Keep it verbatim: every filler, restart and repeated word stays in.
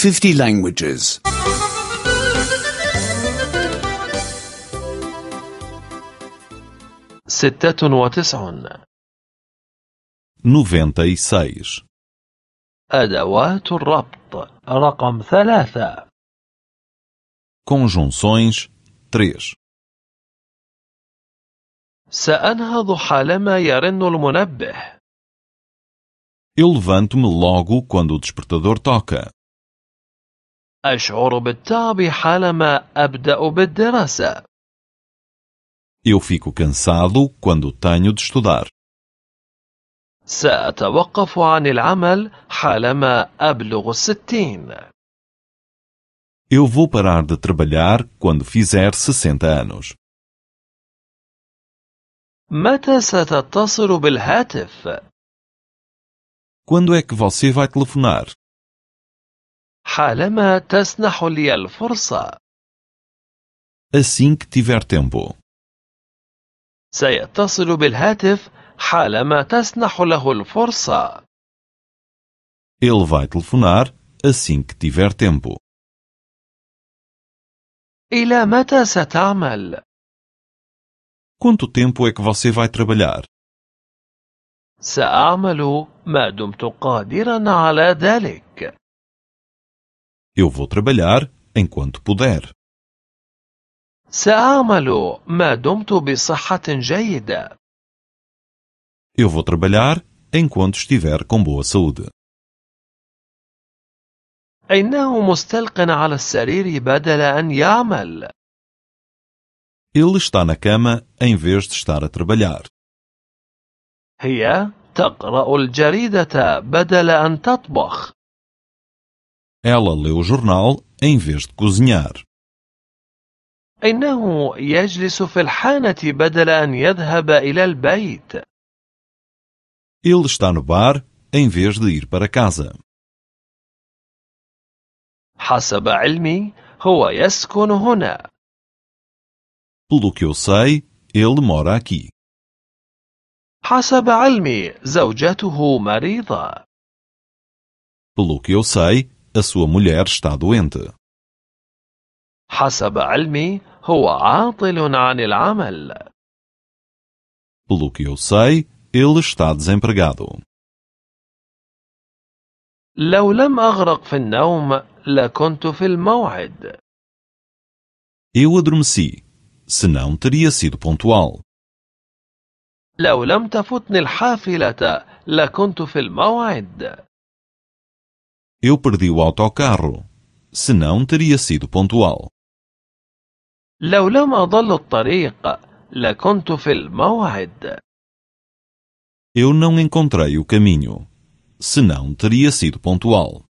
fifty languages. ستة وتسعون. noventa e seis. أدوات الربط رقم ثلاثة. Conjunções três. سأنهض حالما يرن المنبه. Eu levanto-me logo quando o despertador toca. أشعر بالتعب حالما أبدأ بالدراسة. Eu fico cansado quando tenho de estudar. سأتوقف عن العمل حالما أبلغ الستين. Eu vou parar de trabalhar quando fizer sessenta anos. متى ستتصل بالهاتف؟ Quando é que você vai telefonar? حالما تسنح لي الفرصة. Assim que tiver tempo. سيتصل بالهاتف حالما تسنح له الفرصة. Ele vai telefonar assim que tiver tempo. إلى متى ستعمل؟ Quanto tempo é que você vai trabalhar? سأعمل ما دمت قادرا على ذلك. Eu vou trabalhar enquanto puder. سأعمل ما دمت بصحة جيدة. Eu vou trabalhar enquanto estiver com boa saúde. إنه مستلق على السرير بدل أن يعمل. Ele está na cama em vez de estar a trabalhar. هي تقرأ الجريدة بدل أن تطبخ. Ela lê o jornal em vez de cozinhar. إنه يجلس في الحانة بدل أن يذهب إلى البيت. Ele está no bar em vez de ir para casa. حسب علمي هو يسكن هنا. Pelo que eu sei, ele mora aqui. حسب علمي زوجته مريضة. Pelo que eu sei, a sua mulher está doente. حسب علمي هو عاطل عن العمل. Pelo que eu sei, ele está desempregado. لو لم أغرق في النوم لكنت في الموعد. Eu adormeci, senão teria sido pontual. لو لم تفتني الحافلة لكنت في الموعد. Eu perdi o autocarro, senão teria sido pontual. لو لم أضل الطريق لكنت في الموعد. Eu não encontrei o caminho, senão teria sido pontual.